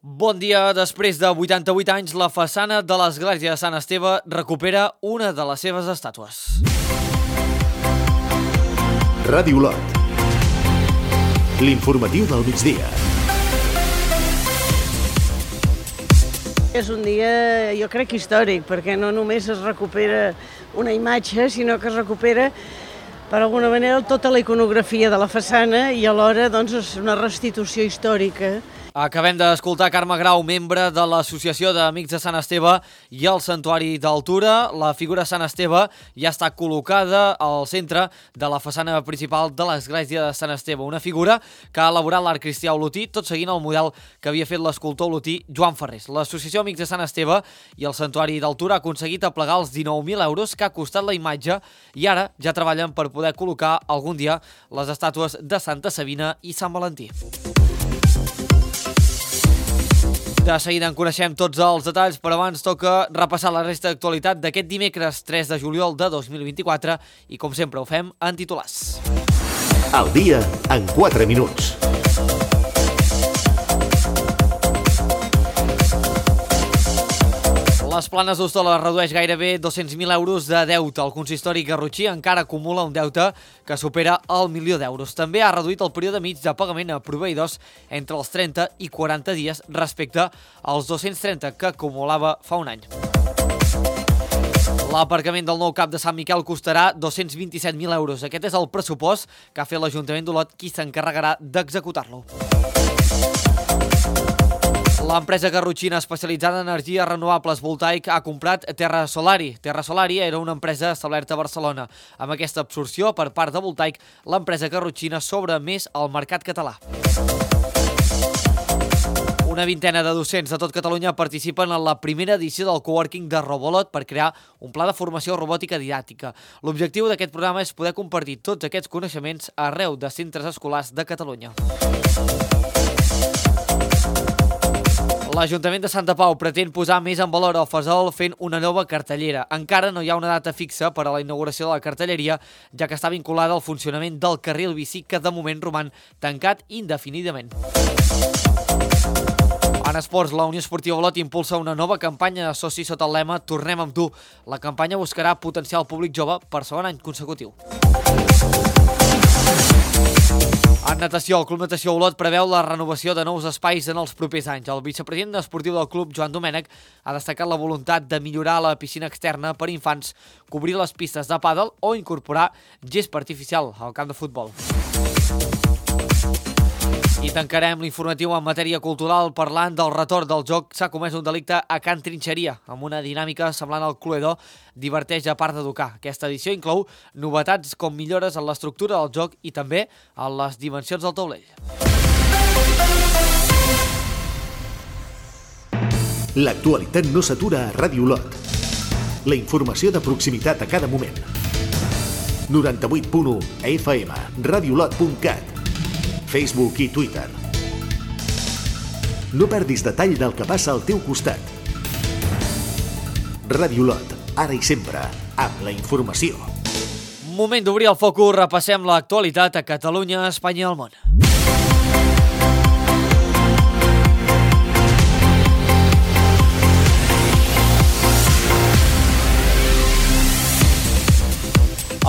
Bon dia. Després de 88 anys, la façana de l'església de Sant Esteve recupera una de les seves estàtues. Ràdio Lot. L'informatiu del migdia. És un dia, jo crec, històric, perquè no només es recupera una imatge, sinó que es recupera, per alguna manera, tota la iconografia de la façana i alhora doncs, és una restitució històrica. Acabem d'escoltar Carme Grau, membre de l'Associació d'Amics de Sant Esteve i el Santuari d'Altura. La figura de Sant Esteve ja està col·locada al centre de la façana principal de l'església de Sant Esteve. Una figura que ha elaborat l'art cristià olotí, tot seguint el model que havia fet l'escultor olotí Joan Ferrés. L'Associació Amics de Sant Esteve i el Santuari d'Altura ha aconseguit aplegar els 19.000 euros que ha costat la imatge i ara ja treballen per poder col·locar algun dia les estàtues de Santa Sabina i Sant Valentí. De seguida en coneixem tots els detalls, però abans toca repassar la resta d'actualitat d'aquest dimecres 3 de juliol de 2024 i, com sempre, ho fem en titulars. Al dia en 4 minuts. Les Planes d'Hostoles redueix gairebé 200.000 euros de deute. El consistori garrotxí encara acumula un deute que supera el 1.000.000 d'euros. També ha reduït el període mig de pagament a proveïdors entre els 30 i 40 dies respecte als 230 que acumulava fa un any. L'aparcament del nou CAP de Sant Miquel costarà 227.000 euros. Aquest és el pressupost que ha fet l'Ajuntament d'Olot, qui s'encarregarà d'executar-lo. L'empresa garrotxina especialitzada en energies renovables Voltaic ha comprat Terra Solari. Terra Solari era una empresa establerta a Barcelona. Amb aquesta absorció per part de Voltaic, l'empresa garrotxina s'obre més al mercat català. Una vintena de docents de tot Catalunya participen en la primera edició del coworking de Robolot per crear un pla de formació robòtica didàctica. L'objectiu d'aquest programa és poder compartir tots aquests coneixements arreu de centres escolars de Catalunya. L'Ajuntament de Santa Pau pretén posar més en valor el Fesol fent una nova cartellera. Encara no hi ha una data fixa per a la inauguració de la cartelleria, ja que està vinculada al funcionament del carril bici, que de moment roman tancat indefinidament. En esports, la Unió Esportiva Olot impulsa una nova campanya de socis sota el lema Tornem amb tu. La campanya buscarà potenciar el públic jove per segon any consecutiu. En natació, el Club Natació Olot preveu la renovació de nous espais en els propers anys. El vicepresident esportiu del club, Joan Domènech, ha destacat la voluntat de millorar la piscina externa per infants, cobrir les pistes de pàdel o incorporar gespa artificial al camp de futbol. I tancarem l'informatiu en matèria cultural parlant del retorn del joc. S'ha comès un delicte a Can Trinxeria, amb una dinàmica semblant al Cluedo, diverteix a part d'educar. Aquesta edició inclou novetats com millores en l'estructura del joc i també en les dimensions del taulell. L'actualitat no s'atura a Ràdio Lot. La informació de proximitat a cada moment. 98.1 FM, radiolot.cat, Facebook i Twitter. No perdis detall del que passa al teu costat. Ràdio Lot, ara i sempre, amb la informació. Moment d'obrir el focus, repassem l'actualitat a Catalunya, Espanya i el món.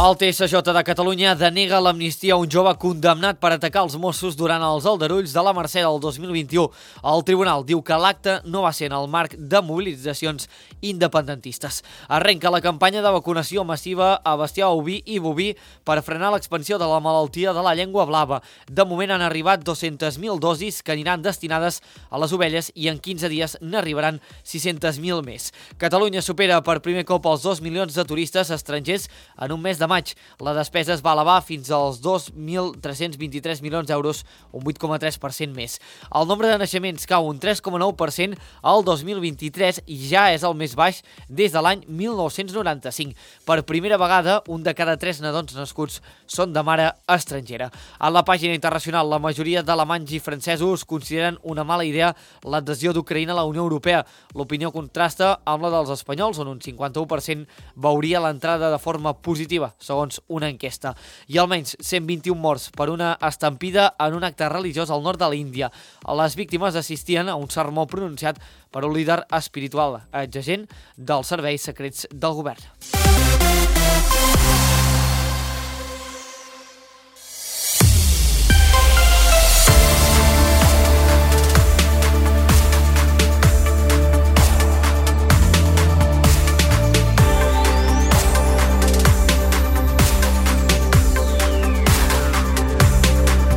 El TSJ de Catalunya denega l'amnistia a un jove condemnat per atacar els Mossos durant els aldarulls de la Mercè del 2021. El tribunal diu que l'acte no va ser en el marc de mobilitzacions independentistes. Arrenca la campanya de vacunació massiva a bestiar oví i boví per frenar l'expansió de la malaltia de la llengua blava. De moment han arribat 200.000 dosis que aniran destinades a les ovelles i en 15 dies n'arribaran 600.000 més. Catalunya supera per primer cop els 2 milions de turistes estrangers en un mes de maig. La despesa es va elevar fins als 2.323 milions d'euros, un 8,3% més. El nombre de naixements cau un 3,9% al 2023 i ja és el més baix des de l'any 1995. Per primera vegada, un de cada 3 nadons nascuts són de mare estrangera. A la pàgina internacional, la majoria d'alemanys i francesos consideren una mala idea l'adhesió d'Ucraïna a la Unió Europea. L'opinió contrasta amb la dels espanyols, on un 51% veuria l'entrada de forma positiva. segons una enquesta. I almenys 121 morts per una estampida en un acte religiós al nord de l'Índia. Les víctimes assistien a un sermó pronunciat per un líder espiritual, exagent dels serveis secrets del govern.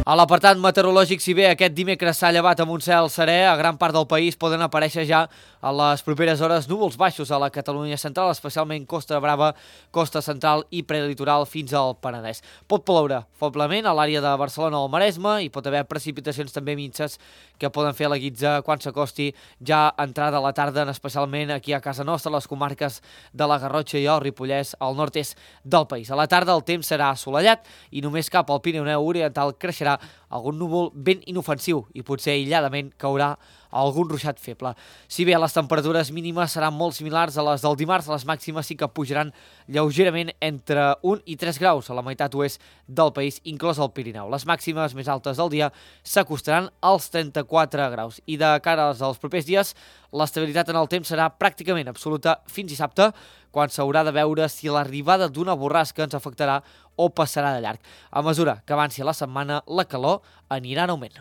A l'apartat meteorològic, si bé aquest dimecres s'ha llevat amb un cel serè, a gran part del país poden aparèixer ja a les properes hores núvols baixos a la Catalunya central, especialment Costa Brava, Costa Central i prelitoral fins al Penedès. Pot ploure feblement a l'àrea de Barcelona o el Maresme i pot haver precipitacions també minses que poden fer la guitza quan s'acosti ja entrada a la tarda, especialment aquí a casa nostra, a les comarques de la Garrotxa i el Ripollès, al nord-est del país. A la tarda el temps serà assolellat i només cap al Pirineu Oriental creixerà algun núvol ben inofensiu i potser aïlladament caurà algun ruixat feble. Si bé les temperatures mínimes seran molt similars a les del dimarts, les màximes sí que pujaran lleugerament entre 1 i 3 graus a la meitat oest del país, inclòs el Pirineu. Les màximes més altes del dia s'acostaran als 34 graus. I de cara als propers dies, l'estabilitat en el temps serà pràcticament absoluta fins dissabte, quan s'haurà de veure si l'arribada d'una borrasca ens afectarà o passarà de llarg. A mesura que avanci la setmana, la calor anirà en augment.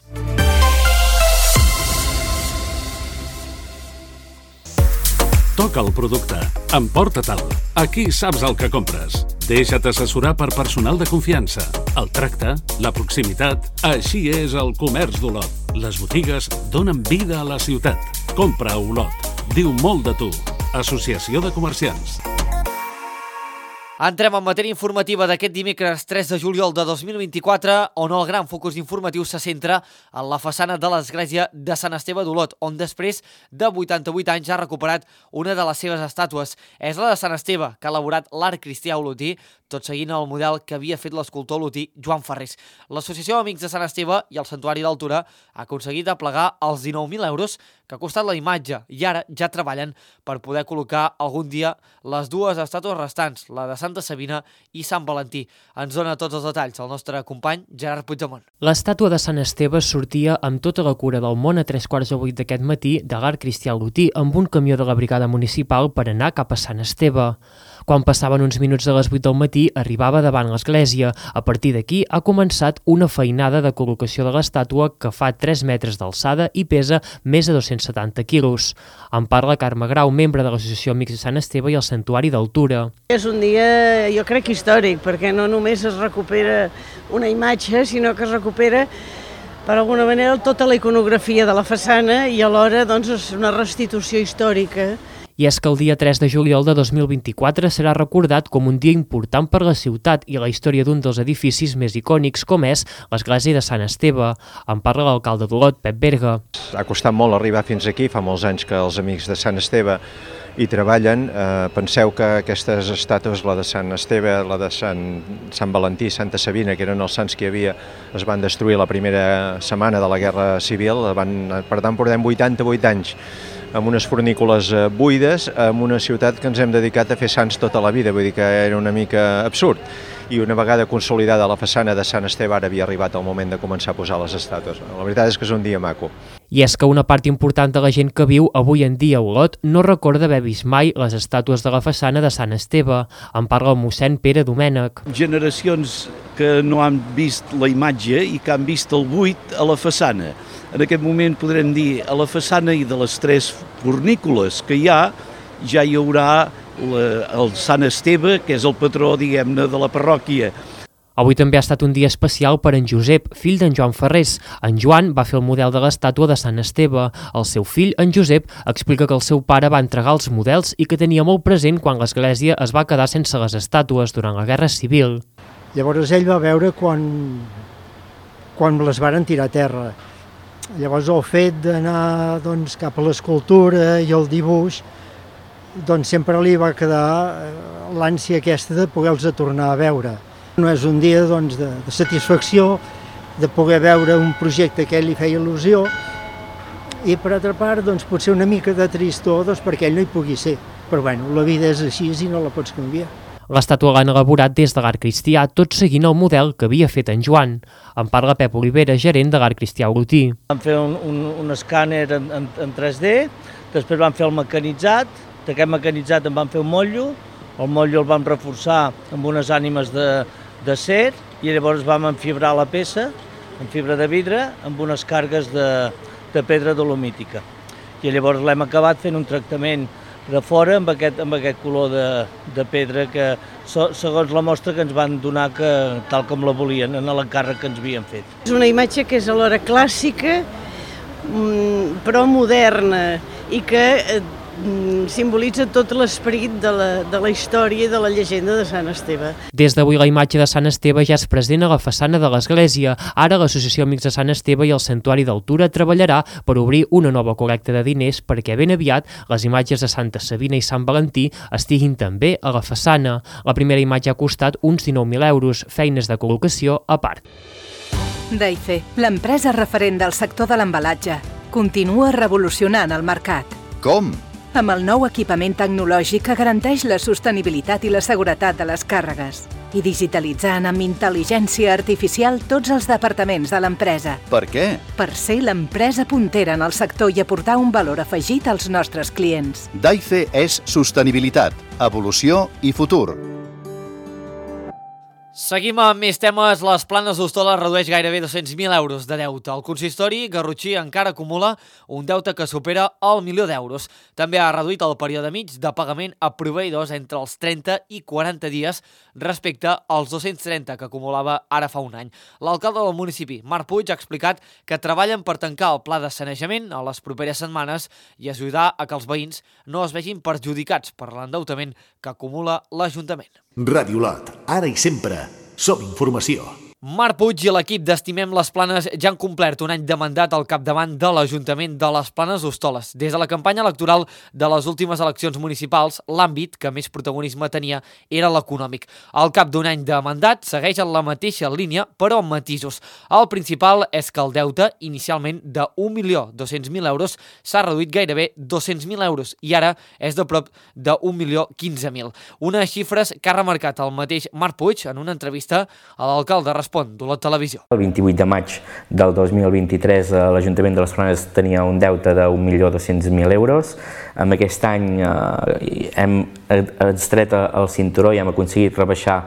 Toca el producte. Emporta-te'l. Aquí saps el que compres. Deixa't assessorar per personal de confiança. El tracte, la proximitat... Així és el comerç d'Olot. Les botigues donen vida a la ciutat. Compra a Olot. Diu molt de tu. Associació de Comerciants. Entrem en matèria informativa d'aquest dimecres 3 de juliol de 2024, on el gran focus informatiu se centra en la façana de l'església de Sant Esteve d'Olot, on després de 88 anys ha recuperat una de les seves estàtues. És la de Sant Esteve, que ha elaborat l'art cristià olotí, tot seguint el model que havia fet l'escultor olotí Joan Ferrés. L'Associació Amics de Sant Esteve i el Santuari d'Altura ha aconseguit aplegar els 19.000 euros que ha costat la imatge i ara ja treballen per poder col·locar algun dia les dues estàtues restants, la de Santa Sabina i Sant Valentí. Ens dona tots els detalls el nostre company Gerard Puigdemont. L'estàtua de Sant Esteve sortia amb tota la cura del món a 7:45 d'aquest matí de l'Art Cristià Olotí amb un camió de la brigada municipal per anar cap a Sant Esteve. Quan passaven uns minuts de les 8 del matí, arribava davant l'església. A partir d'aquí ha començat una feinada de col·locació de l'estàtua que fa 3 metres d'alçada i pesa més de 270 quilos. En parla Carme Grau, membre de l'Associació Amics de Sant Esteve i el Santuari d'Altura. És un dia, jo crec, històric, perquè no només es recupera una imatge, sinó que es recupera, per alguna manera, tota la iconografia de la façana i alhora doncs, és una restitució històrica. I és que el dia 3 de juliol de 2024 serà recordat com un dia important per la ciutat i la història d'un dels edificis més icònics, com és l'església de Sant Esteve. En parla l'alcalde d'Olot, Pep Berga. Ha costat molt arribar fins aquí, fa molts anys que els amics de Sant Esteve hi treballen. Penseu que aquestes estàtues, la de Sant Esteve, la de Sant Valentí, Santa Sabina, que eren els sants que hi havia, es van destruir la primera setmana de la Guerra Civil. Per tant, portem 88 anys amb unes fornícules buides, en una ciutat que ens hem dedicat a fer sants tota la vida, vull dir que era una mica absurd. I una vegada consolidada la façana de Sant Esteve, ara havia arribat el moment de començar a posar les estàtues. La veritat és que és un dia maco. I és que una part important de la gent que viu avui en dia a Olot no recorda haver vist mai les estàtues de la façana de Sant Esteve. En parla el mossèn Pere Domènech. Generacions que no han vist la imatge i que han vist el buit a la façana. En aquest moment podrem dir a la façana i de les 3 fornícules que hi ha, ja hi haurà el Sant Esteve, que és el patró, diguem-ne, de la parròquia. Avui també ha estat un dia especial per en Josep, fill d'en Joan Ferrés. En Joan va fer el model de l'estàtua de Sant Esteve. El seu fill, en Josep, explica que el seu pare va entregar els models i que tenia molt present quan l'església es va quedar sense les estàtues durant la Guerra Civil. Llavors ell va veure quan les varen tirar a terra. Llavors el fet d'anar cap a l'escultura i el dibuix, sempre li va quedar l'ànsia aquesta de poder-los tornar a veure. No és un dia de satisfacció de poder veure un projecte que a ell li feia il·lusió i per altra part potser una mica de tristor perquè ell no hi pugui ser. Però bueno, la vida és així i no la pots canviar. L'estàtua l'han elaborat des de l'art cristià, tot seguint el model que havia fet en Joan. En parla Pep Olivera, gerent de l'art cristià Olotí. Vam fer un escàner en 3D, després vam fer el mecanitzat, d'aquest mecanitzat en vam fer un motllo, el motllo el vam reforçar amb unes ànimes d'acer i llavors vam enfibrar la peça, en fibra de vidre, amb unes cargues de pedra dolomítica. I llavors l'hem acabat fent un tractament de fora amb aquest color de pedra que, segons la mostra que ens van donar, tal com la volien, en l'encàrrec que ens havien fet. És una imatge que és alhora clàssica, però moderna, i que simbolitza tot l'esperit de la història i de la llegenda de Sant Esteve. Des d'avui la imatge de Sant Esteve ja és present a la façana de l'església. Ara l'Associació Amics de Sant Esteve i el Santuari d'Altura treballarà per obrir una nova col·lecta de diners perquè ben aviat les imatges de Santa Sabina i Sant Valentí estiguin també a la façana. La primera imatge ha costat uns 19.000 euros, feines de col·locació a part. Daife, l'empresa referent del sector de l'embalatge, continua revolucionant el mercat. Com? Amb el nou equipament tecnològic que garanteix la sostenibilitat i la seguretat de les càrregues i digitalitzant amb intel·ligència artificial tots els departaments de l'empresa. Per què? Per ser l'empresa puntera en el sector i aportar un valor afegit als nostres clients. Daife és sostenibilitat, evolució i futur. Seguim amb més temes. Les Planes d'Hostoles redueix gairebé 200.000 euros de deute. El consistori garrotxí encara acumula un deute que supera el 1.000.000 d'euros. També ha reduït el període mig de pagament a proveïdors entre els 30 i 40 dies respecte als 230 que acumulava ara fa un any. L'alcalde del municipi, Marc Puig, ha explicat que treballen per tancar el pla de sanejament a les properes setmanes i ajudar a que els veïns no es vegin perjudicats per l'endeutament que acumula l'Ajuntament. Ràdio Lot, ara i sempre, som informació. Marc Puig i l'equip d'Estimem les Planes ja han complert un any de mandat al capdavant de l'Ajuntament de les Planes d'Hostoles. Des de la campanya electoral de les últimes eleccions municipals, l'àmbit que més protagonisme tenia era l'econòmic. Al cap d'un any de mandat segueix en la mateixa línia, però amb matisos. El principal és que el deute, inicialment de 1.200.000 euros, s'ha reduït gairebé 200.000 euros i ara és de prop de 1.015.000. Unes xifres que ha remarcat el mateix Marc Puig en una entrevista a l'alcalde d'Olot Televisió. El 28 de maig del 2023 l'Ajuntament de les Planes tenia un deute de 1.200.000 euros. Amb aquest any hem extret el cinturó i hem aconseguit rebaixar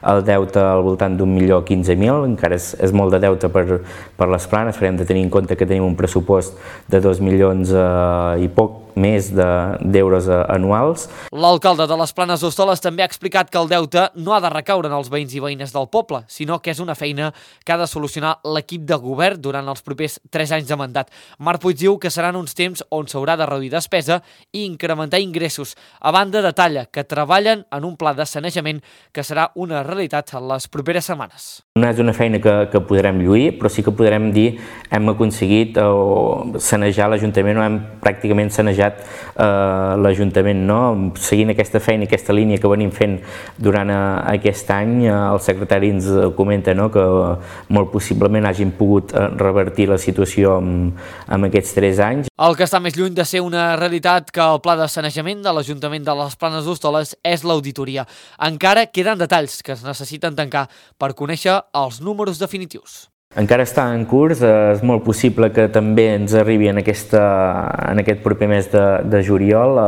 el deute al voltant d'1.015.000. Encara és molt de deute per les Planes, però hem de tenir en compte que tenim un pressupost de 2 milions i poc més d'euros anuals. L'alcalde de les Planes d'Hostoles també ha explicat que el deute no ha de recaure en els veïns i veïnes del poble, sinó que és una feina que ha de solucionar l'equip de govern durant els propers 3 anys de mandat. Marc Puig diu que seran uns temps on s'haurà de reduir despesa i incrementar ingressos. A banda, detalla que treballen en un pla de sanejament que serà una realitat en les properes setmanes. No és una feina que podrem lluir, però sí que podrem dir hem aconseguit sanejar l'Ajuntament o hem pràcticament sanejat l'Ajuntament, no? Seguint aquesta feina i aquesta línia que venim fent durant aquest any, el secretari ens comenta, no?, que molt possiblement hagin pogut revertir la situació en aquests 3 anys. El que està més lluny de ser una realitat que el pla de sanejament de l'Ajuntament de les Planes d'Hostoles és l'auditoria. Encara queden detalls que es necessiten tancar per conèixer els números definitius. Encara està en curs, és molt possible que també ens arribi en aquest proper mes de juliol.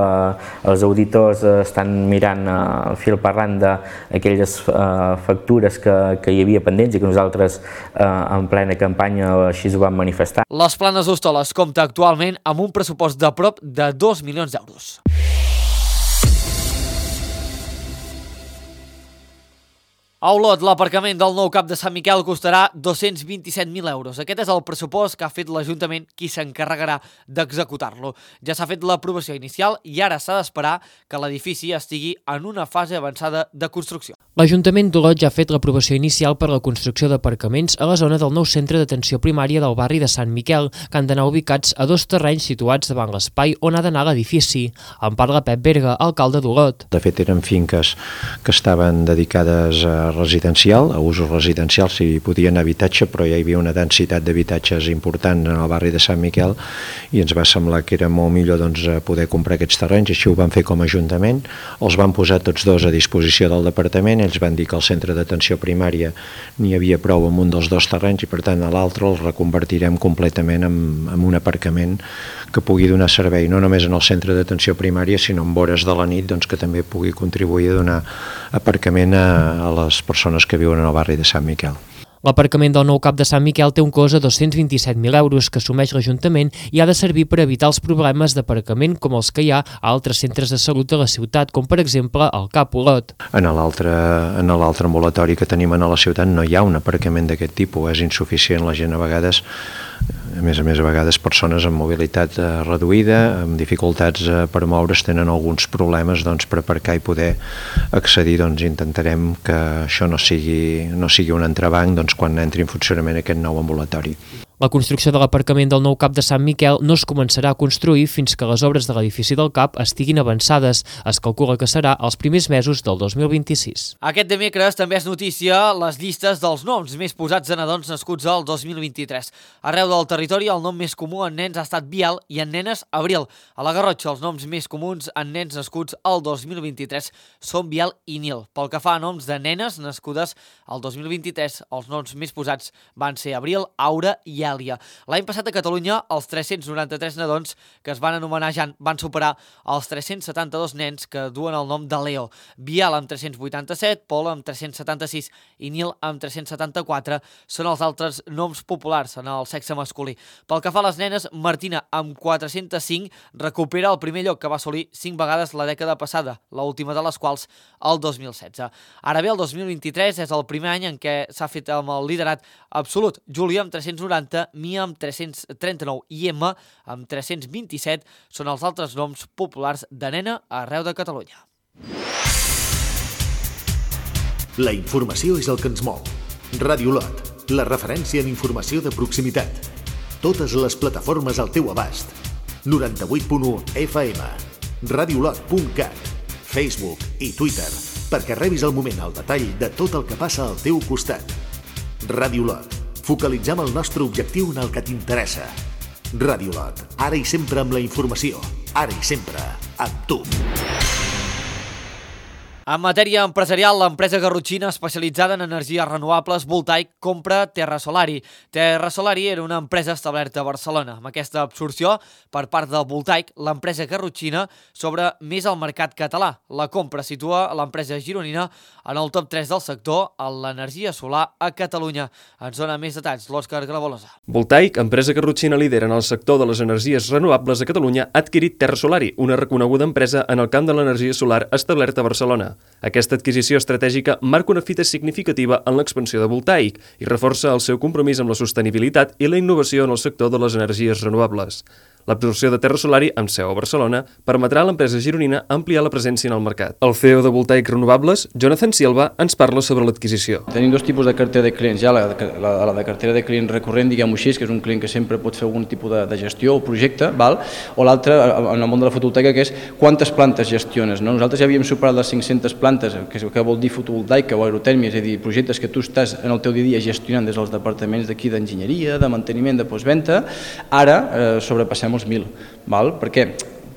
Els auditors estan mirant el fil per randa aquelles factures que hi havia pendents i que nosaltres en plena campanya així ho vam manifestar. Les Planes d'Hostoles compta actualment amb un pressupost de prop de 2 milions d'euros. A Olot, l'aparcament del nou CAP de Sant Miquel costarà 227.000 euros. Aquest és el pressupost que ha fet l'Ajuntament qui s'encarregarà d'executar-lo. Ja s'ha fet l'aprovació inicial i ara s'ha d'esperar que l'edifici estigui en una fase avançada de construcció. L'Ajuntament d'Olot ja ha fet l'aprovació inicial per la construcció d'aparcaments a la zona del nou centre d'atenció primària del barri de Sant Miquel, que han d'anar ubicats a 2 terrenys situats davant l'espai on ha d'anar l'edifici. En parla Pep Berga, alcalde d'Olot. De fet, eren finques que estaven dedicades a residencial, a usos residencials, si podien habitatge, però ja hi havia una densitat d'habitatges important en el barri de Sant Miquel i ens va semblar que era molt millor poder comprar aquests terrenys, així ho vam fer com a Ajuntament, els van posar tots dos a disposició del departament. Ells van dir que al centre d'atenció primària n'hi havia prou amb un dels 2 terrenys i per tant a l'altre el reconvertirem completament en un aparcament que pugui donar servei no només en el centre d'atenció primària sinó en hores de la nit que també pugui contribuir a donar aparcament a les persones que viuen en el barri de Sant Miquel. L'aparcament del nou CAP de Sant Miquel té un cost de 227.000 euros que assumeix l'Ajuntament i ha de servir per evitar els problemes d'aparcament com els que hi ha a altres centres de salut de la ciutat, com per exemple el CAP Olot. En l'altre ambulatori que tenim a la ciutat no hi ha un aparcament d'aquest tipus, és insuficient, la gent a vegades, a més, a vegades persones amb mobilitat reduïda, amb dificultats per moure's, tenen alguns problemes per aparcar i poder accedir. Intentarem que això no sigui un entrebanc quan entri en funcionament aquest nou ambulatori. La construcció de l'aparcament del nou CAP de Sant Miquel no es començarà a construir fins que les obres de l'edifici del CAP estiguin avançades. Es calcula que serà els primers mesos del 2026. Aquest dimecres també és notícia les llistes dels noms més posats de nadons nascuts al 2023. Arreu del territori el nom més comú en nens ha estat Biel i en nenes Abril. A la Garrotxa els noms més comuns en nens nascuts al 2023 són Biel i Nil. Pel que fa a noms de nenes nascudes al 2023, els noms més posats van ser Abril, Aura i Èlia. L'any passat a Catalunya, els 393 nadons que es van anomenar Jan van superar els 372 nens que duen el nom de Leo. Biel amb 387, Pol amb 376 i Nil amb 374 són els altres noms populars en el sexe masculí. Pel que fa a les nenes, Martina amb 405 recupera el primer lloc que va assolir 5 vegades la dècada passada, l'última de les quals el 2016. Ara bé, el 2023 és el primer any en què s'ha fet amb el liderat absolut. Júlia amb 390, Mia amb 339 i Emma amb 327 són els altres noms populars de nena arreu de Catalunya. La informació és el que ens mou. Ràdio Olot, la referència en informació de proximitat. Totes les plataformes al teu abast. 98.1 FM, radiolot.cat, Facebook i Twitter, perquè rebis al moment el detall de tot el que passa al teu costat. Ràdio Olot. Focalitzem el nostre objectiu en el que t'interessa. Ràdio Olot, ara i sempre amb la informació, ara i sempre amb tu. En matèria empresarial, l'empresa garrotxina especialitzada en energies renovables Voltaic compra Terra Solari. Terra Solari era una empresa establerta a Barcelona. Amb aquesta absorció, per part de Voltaic, l'empresa garrotxina s'obre més al mercat català. La compra situa l'empresa gironina en el top 3 del sector en l'energia solar a Catalunya. Ens dona més detalls l'Òscar Gravolosa. Voltaic, empresa garrotxina líder en el sector de les energies renovables a Catalunya, ha adquirit Terra Solari, una reconeguda empresa en el camp de l'energia solar establerta a Barcelona. Aquesta adquisició estratègica marca una fita significativa en l'expansió de Voltaic i reforça el seu compromís amb la sostenibilitat i la innovació en el sector de les energies renovables. L'absorció de Terra Solari, amb seu a Barcelona, permetrà a l'empresa gironina ampliar la presència en el mercat. El CEO de Voltaic Renovables, Jonathan Silva, ens parla sobre l'adquisició. Tenim 2 tipus de cartera de clients. Hi ha la de cartera de client recurrent, diguem-ho així, que és un client que sempre pot fer algun tipus de gestió o projecte, val? O l'altre, en el món de la fotovoltaica, que és quantes plantes gestiones. No? Nosaltres ja havíem superat les 500 plantes, que vol dir fotovoltaica o aerotèrmia, és a dir, projectes que tu estàs en el teu dia a dia gestionant des dels departaments d'aquí d'enginyeria, de manteniment, de postventa. Ara sobrepassem els 1.000, val? Per què?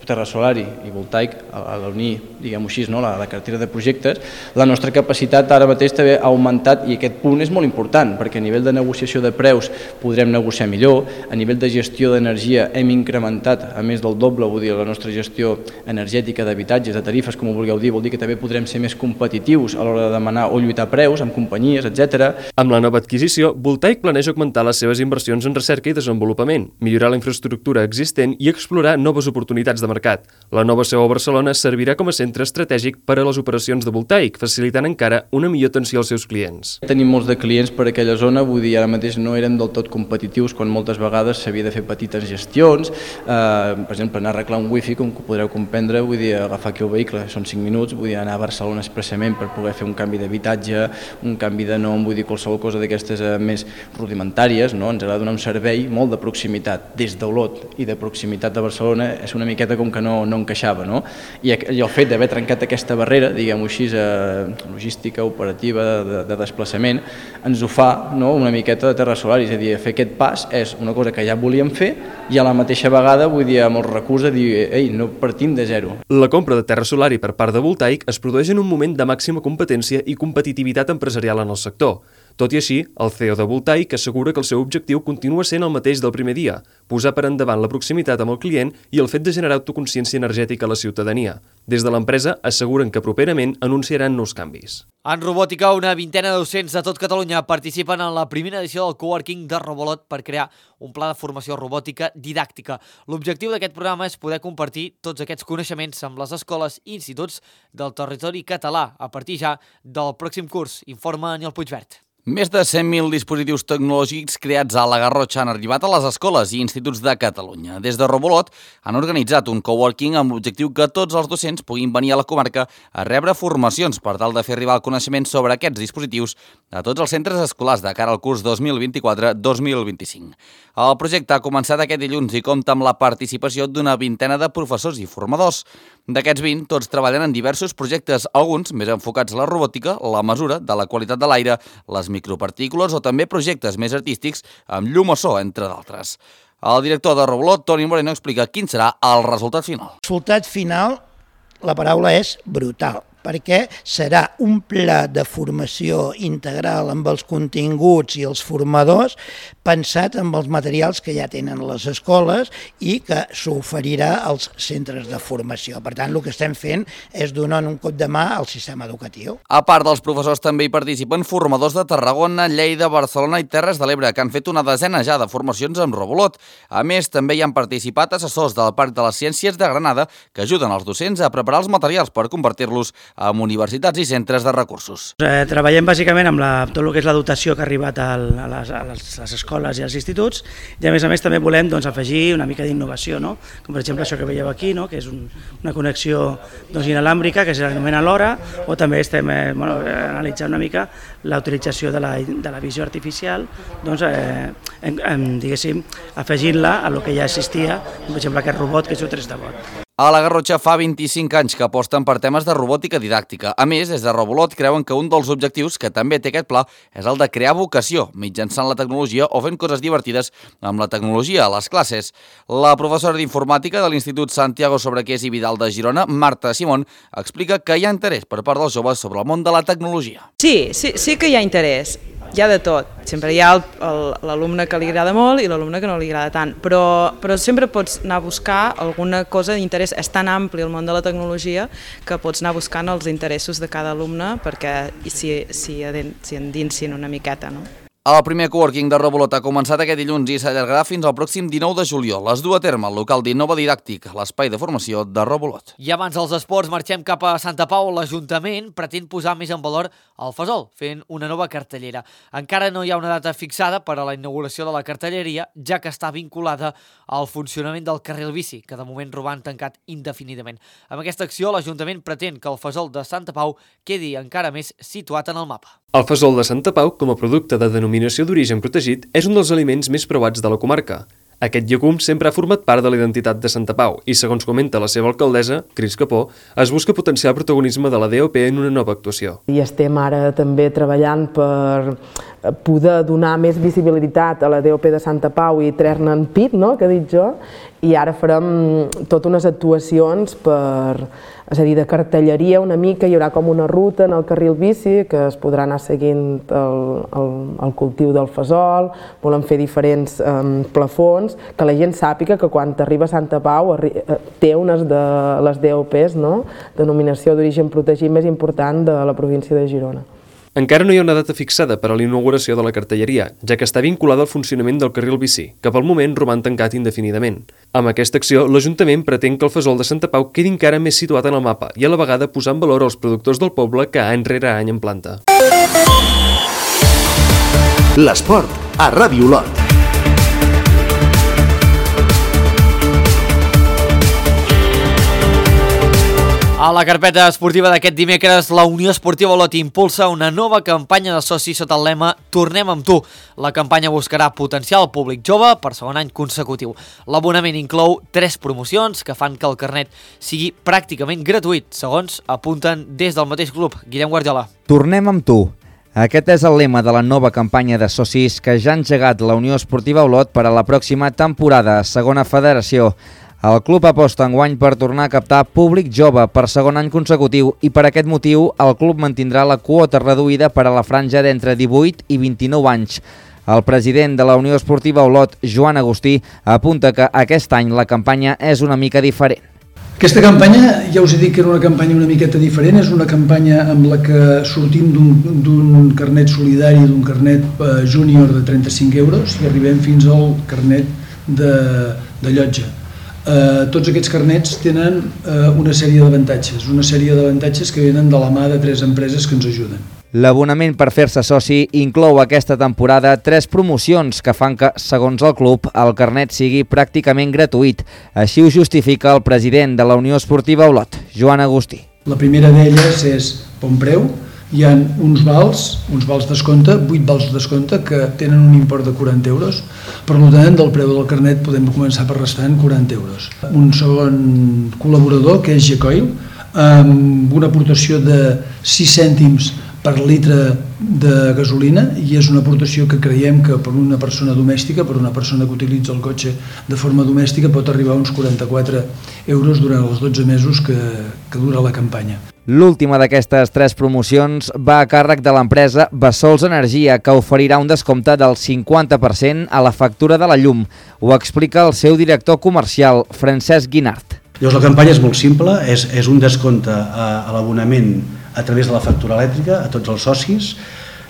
Terra Solari i Voltaic, a l'unir, diguem-ho així, la cartera de projectes, la nostra capacitat ara mateix també ha augmentat i aquest punt és molt important perquè a nivell de negociació de preus podrem negociar millor, a nivell de gestió d'energia hem incrementat a més del doble, vull dir, la nostra gestió energètica d'habitatges, de tarifes, com ho vulgueu dir, vol dir que també podrem ser més competitius a l'hora de demanar o lluitar preus amb companyies, etc. Amb la nova adquisició, Voltaic planeja augmentar les seves inversions en recerca i desenvolupament, millorar la infraestructura existent i explorar noves oportunitats de mercat. mercat. La nova seu a Barcelona servirà com a centre estratègic per a les operacions de voltaic, facilitant encara una millor atenció als seus clients. Tenim molts de clients per aquella zona, vull dir, ara mateix no érem del tot competitius quan moltes vegades s'havia de fer petites gestions, per exemple, anar a arreglar un wifi, com podreu comprendre, vull dir, agafar aquí el vehicle, són 5 minuts, vull dir, anar a Barcelona expressament per poder fer un canvi d'habitatge, un canvi de nom, vull dir, qualsevol cosa d'aquestes més rudimentàries, no? Ens agrada donar un servei molt de proximitat. Des d'Olot i de proximitat de Barcelona és una miqueta com que no encaixava, no? I el fet d'haver trencat aquesta barrera, diguem-ho així, logística, operativa, de desplaçament, ens ho fa, no?, una miqueta de Terra Solar, és a dir, fer aquest pas és una cosa que ja volíem fer i a la mateixa vegada, vull dir, amb el recurs de dir, ei, no partim de zero. La compra de Terra Solar per part de Voltaic es produeix en un moment de màxima competència i competitivitat empresarial en el sector. Tot i així, el CEO de Voltaic assegura que el seu objectiu continua sent el mateix del primer dia, posar per endavant la proximitat amb el client i el fet de generar autoconsciència energètica a la ciutadania. Des de l'empresa asseguren que properament anunciaran nous canvis. En robòtica, una vintena de docents de tot Catalunya participen en la primera edició del coworking de Robolot per crear un pla de formació robòtica didàctica. L'objectiu d'aquest programa és poder compartir tots aquests coneixements amb les escoles i instituts del territori català a partir ja del pròxim curs, informa Aniol Puigvert. Més de 100.000 dispositius tecnològics creats a la Garrotxa han arribat a les escoles i instituts de Catalunya. Des de Robolot han organitzat un coworking amb l'objectiu que tots els docents puguin venir a la comarca a rebre formacions per tal de fer arribar el coneixement sobre aquests dispositius a tots els centres escolars de cara al curs 2024-2025. El projecte ha començat aquest dilluns i compta amb la participació d'una vintena de professors i formadors. D'aquests 20, tots treballen en diversos projectes, alguns més enfocats a la robòtica, la mesura de la qualitat de l'aire, les micropartícules o també projectes més artístics amb llum o so, entre d'altres. El director de Robolot, Toni Moreno, explica quin serà el resultat final. El resultat final, la paraula és brutal, perquè serà un pla de formació integral amb els continguts i els formadors pensat amb els materials que ja tenen les escoles i que s'oferirà als centres de formació. Per tant, el que estem fent és donar un cop de mà al sistema educatiu. A part dels professors també hi participen formadors de Tarragona, Lleida, Barcelona i Terres de l'Ebre, que han fet una desena ja de formacions amb Robolot. A més, també hi han participat assessors del Parc de les Ciències de Granada que ajuden els docents a preparar els materials per convertir-los en universitats i centres de recursos. Treballem bàsicament amb tot el que és la dotació que ha arribat a les escoles i als instituts i a més també volem afegir una mica d'innovació, no? Com per exemple això que veieu aquí, no? Que és una connexió inalàmbrica que s'anomena l'hora, o també estem analitzant una mica la utilització de la visió artificial, diguéssim, afegint-la a lo que ja existia, per exemple aquest robot que és un 3D bot. A la Garrotxa fa 25 anys que aposten per temes de robòtica didàctica. A més, des de Robolot creuen que un dels objectius que també té aquest pla és el de crear vocació mitjançant la tecnologia o fent coses divertides amb la tecnologia a les classes. La professora d'informàtica de l'Institut Santiago Sobrequés i Vidal de Girona, Marta Simón, explica que hi ha interès per part dels joves sobre el món de la tecnologia. Sí que hi ha interès. Hi ha de tot, sempre hi ha l'alumne que li agrada molt i l'alumne que no li agrada tant, però sempre pots anar a buscar alguna cosa d'interès. És tan ampli el món de la tecnologia que pots anar buscant els interessos de cada alumne perquè s'hi endinsin una miqueta, no? El primer coworking de Robolot ha començat aquest dilluns i s'allargarà fins al pròxim 19 de juliol. Es du a terme al local d'Innova Didàctic, l'espai de formació de Robolot. I abans dels esports marxem cap a Santa Pau. L'Ajuntament pretén posar més en valor el Fesol, fent una nova cartellera. Encara no hi ha una data fixada per a la inauguració de la cartelleria, ja que està vinculada al funcionament del carril bici, que de moment roman tancat indefinidament. Amb aquesta acció, l'Ajuntament pretén que el Fesol de Santa Pau quedi encara més situat en el mapa. El fesol de Santa Pau, com a producte de denominació d'origen protegit, és un dels aliments més preuats de la comarca. Aquest llegum sempre ha format part de la identitat de Santa Pau i, segons comenta la seva alcaldessa, Cris Capó, es busca potenciar el protagonisme de la DOP en una nova actuació. I estem ara també treballant per poder donar més visibilitat a la DOP de Santa Pau i treure-ne en pit, no?, que he dit jo, i ara farem totes unes actuacions és a dir, de cartelleria una mica, hi haurà com una ruta en el carril bici que es podrà anar seguint el cultiu del fesol, volem fer diferents plafons, que la gent sàpiga que quan arriba a Santa Pau té unes de les DOPs, no?, denominació d'origen protegit més important de la província de Girona. Encara no hi ha una data fixada per a la inauguració de la cartelleria, ja que està vinculada al funcionament del carril bici, que pel moment roman tancat indefinidament. Amb aquesta acció, l'Ajuntament pretén que el Fesol de Santa Pau quedi encara més situat en el mapa i a la vegada posar en valor els productors del poble que any rere any en planta. L'esport a Ràdio Olot. A la carpeta esportiva d'aquest dimecres, la Unió Esportiva Olot impulsa una nova campanya de socis sota el lema Tornem amb tu. La campanya buscarà potenciar el públic jove per segon any consecutiu. L'abonament inclou 3 promocions que fan que el carnet sigui pràcticament gratuït, segons apunten des del mateix club. Guillem Guardiola. Tornem amb tu. Aquest és el lema de la nova campanya de socis que ja ha engegat la Unió Esportiva Olot per a la pròxima temporada a Segona Federació. El club aposta enguany per tornar a captar públic jove per segon any consecutiu i per aquest motiu el club mantindrà la quota reduïda per a la franja d'entre 18 i 29 anys. El president de la Unió Esportiva Olot, Joan Agustí, apunta que aquest any la campanya és una mica diferent. Aquesta campanya, ja us he dit que era una campanya una miqueta diferent, és una campanya amb la que sortim d'un carnet solidari, d'un carnet júnior de 35 euros i arribem fins al carnet de llotja. Tots aquests carnets tenen una sèrie d'avantatges que venen de la mà de 3 empreses que ens ajuden. L'abonament per fer-se soci inclou aquesta temporada 3 promocions que fan que, segons el club, el carnet sigui pràcticament gratuït. Així ho justifica el president de la Unió Esportiva Olot, Joan Agustí. La primera d'elles és bon preu. Hi ha uns vals descompte, 8 vals descompte que tenen un import de 40 euros. Per tant, del preu del carnet podem començar per restant 40 euros. Un segon col·laborador, que és Gecoil, amb una aportació de 6 cèntims per litre de gasolina, i és una aportació que creiem que per una persona domèstica, per una persona que utilitza el cotxe de forma domèstica, pot arribar a uns 44 euros durant els 12 mesos que dura la campanya. L'última d'aquestes 3 promocions va a càrrec de l'empresa Bessols Energia, que oferirà un descompte del 50% a la factura de la llum. Ho explica el seu director comercial, Francesc Guinart. Llavors la campanya és molt simple, és un descompte a l'abonament a través de la factura elèctrica a tots els socis.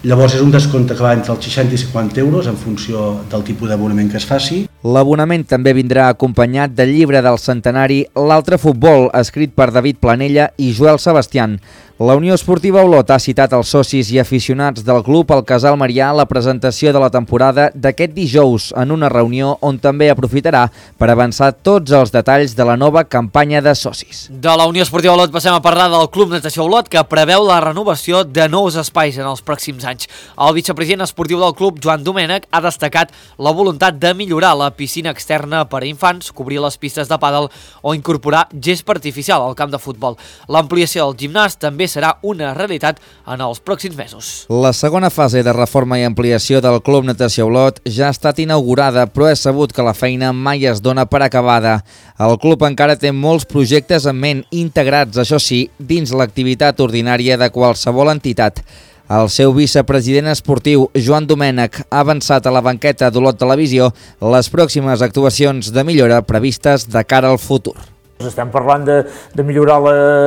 Llavors és un descompte que va entre els 60 i 50 euros en funció del tipus d'abonament que es faci. L'abonament també vindrà acompanyat del llibre del centenari L'altre futbol, escrit per David Planella i Joel Sebastián. La Unió Esportiva Olot ha citat als socis i aficionats del club al Casal Marià la presentació de la temporada d'aquest dijous en una reunió on també aprofitarà per avançar tots els detalls de la nova campanya de socis. De la Unió Esportiva Olot passem a parlar del Club Natació Olot, que preveu la renovació de nous espais en els pròxims anys. El vicepresident esportiu del club, Joan Domènech, ha destacat la voluntat de millorar la piscina externa per a infants, cobrir les pistes de pàdel o incorporar gespa artificial al camp de futbol. L'ampliació del gimnàs també serà una realitat en els pròxims mesos. La segona fase de reforma i ampliació del Club Natació Olot ja ha estat inaugurada, però és sabut que la feina mai es dona per acabada. El club encara té molts projectes en ment integrats, això sí, dins l'activitat ordinària de qualsevol entitat. El seu vicepresident esportiu, Joan Domènech, ha avançat a la banqueta d'Olot Televisió les pròximes actuacions de millora previstes de cara al futur. Estem parlant de millorar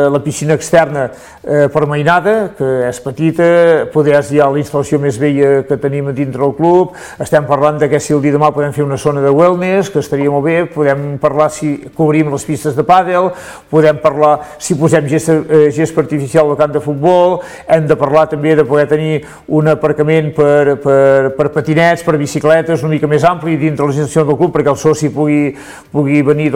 la piscina externa permainada, que és petita, poder és ja la instal·lació més vella que tenim dintre del club. Estem parlant que si el dia demà podem fer una zona de wellness, que estaria molt bé. Podem parlar si cobrim les pistes de pàdel, podem parlar si posem gespa artificial al camp de futbol. Hem de parlar també de poder tenir un aparcament per patinets, per bicicletes, una mica més ampli dintre les instal·lacions del club, perquè el soci pugui venir,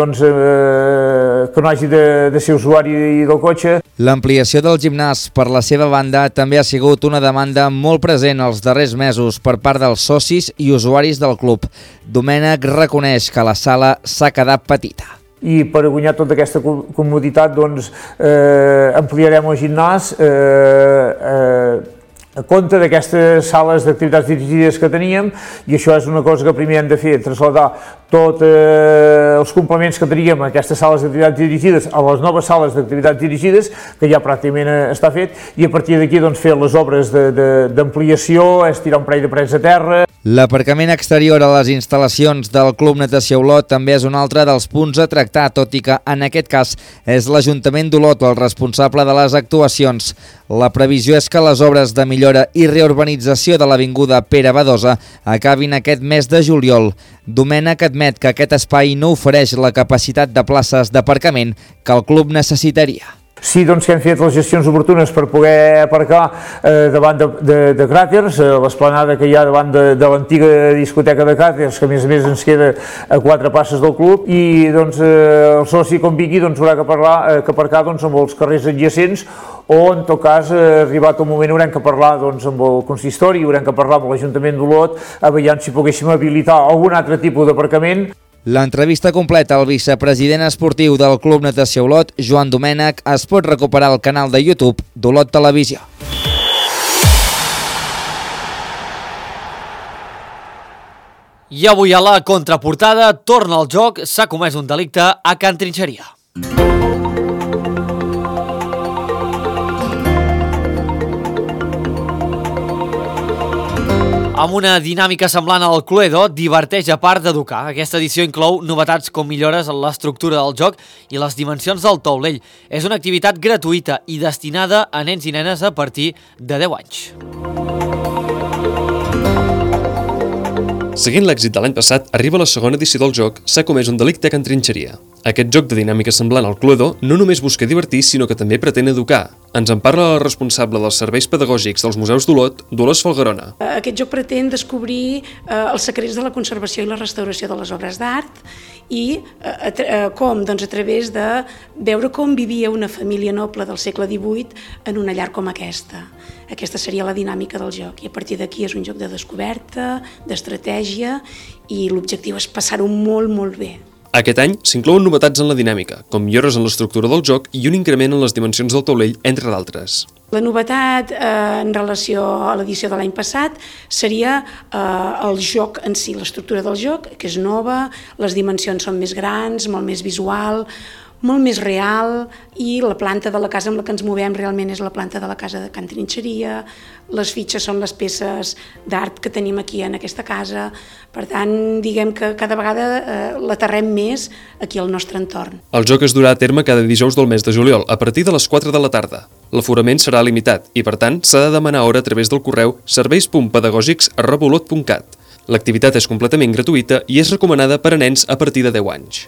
que no hagi de ser usuari del cotxe. L'ampliació del gimnàs, per la seva banda, també ha sigut una demanda molt present els darrers mesos per part dels socis i usuaris del club. Domènech reconeix que la sala s'ha quedat petita. I per guanyar tota aquesta comoditat, ampliarem el gimnàs a compte d'aquestes sales d'activitats dirigides que teníem, i això és una cosa que primer hem de fer, traslladar tots els complements que teníem a aquestes sales d'activitats dirigides, a les noves sales d'activitats dirigides, que ja pràcticament està fet, i a partir d'aquí fer les obres d'ampliació, estirar un parell de parets a terra. L'aparcament exterior a les instal·lacions del Club Natació Olot també és un altre dels punts a tractar, tot i que en aquest cas és l'Ajuntament d'Olot el responsable de les actuacions. La previsió és que les obres de millora i reurbanització de l'avinguda Pere Badosa acabin aquest mes de juliol. Domènech admet que aquest espai no ofereix la capacitat de places d'aparcament que el club necessitaria. Sí, doncs que hem fet les gestions oportunes per poder aparcar davant de Cràters, l'esplanada que hi ha davant de l'antiga discoteca de Cràters, que a més ens queda a 4 passes del club, i doncs el soci quan vingui haurà que aparcar amb els carrers adjacents, o en tot cas, arribat el moment, haurem que parlar amb el consistori, haurem que parlar amb l'Ajuntament d'Olot, a veure si poguéssim habilitar algun altre tipus d'aparcament. L'entrevista completa al vicepresident esportiu del Club Natació Olot, Joan Domènech, es pot recuperar al canal de YouTube d'Olot Televisió. I avui a la contraportada torna al joc, s'ha comès un delicte a Can Trinxeria. Amb una dinàmica semblant al Cluedo, diverteix a part d'educar. Aquesta edició inclou novetats com millores en l'estructura del joc i les dimensions del taulell. És una activitat gratuïta i destinada a nens i nenes a partir de 10 anys. Seguint l'èxit de l'any passat, arriba la segona edició del joc, s'ha comès un delicte a Can Trinxeria. Aquest joc de dinàmica semblant al Cluedo no només busca divertir, sinó que també pretén educar. Ens en parla la responsable dels serveis pedagògics dels museus d'Olot, Dolors Falgarona. Aquest joc pretén descobrir els secrets de la conservació i la restauració de les obres d'art i com, doncs, a través de veure com vivia una família noble del segle XVIII en una llar com aquesta. Aquesta seria la dinàmica del joc i a partir d'aquí és un joc de descoberta, d'estratègia i l'objectiu és passar-ho molt, molt bé. Aquest any s'inclouen novetats en la dinàmica, com millores en l'estructura del joc i un increment en les dimensions del taulell, entre d'altres. La novetat en relació a l'edició de l'any passat seria el joc en si, l'estructura del joc, que és nova, les dimensions són més grans, molt més visual, molt més real, i la planta de la casa amb la que ens movem realment és la planta de la casa de Can Trinxeria, les fitxes són les peces d'art que tenim aquí en aquesta casa, per tant, diguem que cada vegada l'aterrem més aquí al nostre entorn. El joc es durà a terme cada dijous del mes de juliol, a partir de les 4 de la tarda. L'aforament serà limitat i, per tant, s'ha de demanar hora a través del correu serveis.pedagògics@olot.cat. L'activitat és completament gratuïta i és recomanada per a nens a partir de 10 anys.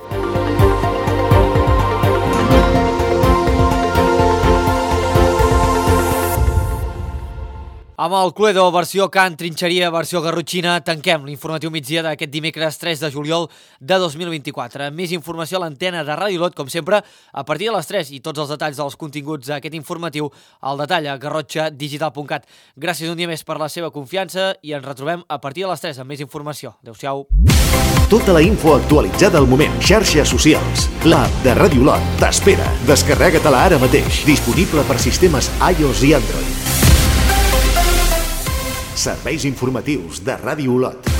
Amb el Cluedo, versió Can Trinxeria, versió Garrotxina, tanquem l'informatiu migdia d'aquest dimecres 3 de juliol de 2024. Més informació a l'antena de Ràdio Olot, com sempre, a partir de les 3 i tots els detalls dels continguts d'aquest informatiu al detall a garrotxadigital.cat. Gràcies un dia més per la seva confiança i ens retrobem a partir de les 3 amb més informació. Adéu-siau. Tota la info actualitzada al moment. Xarxes socials. L'app de Ràdio Olot t'espera. Descarrega-te-la ara mateix. Disponible per sistemes iOS i Android. Serveis informatius de Ràdio Olot.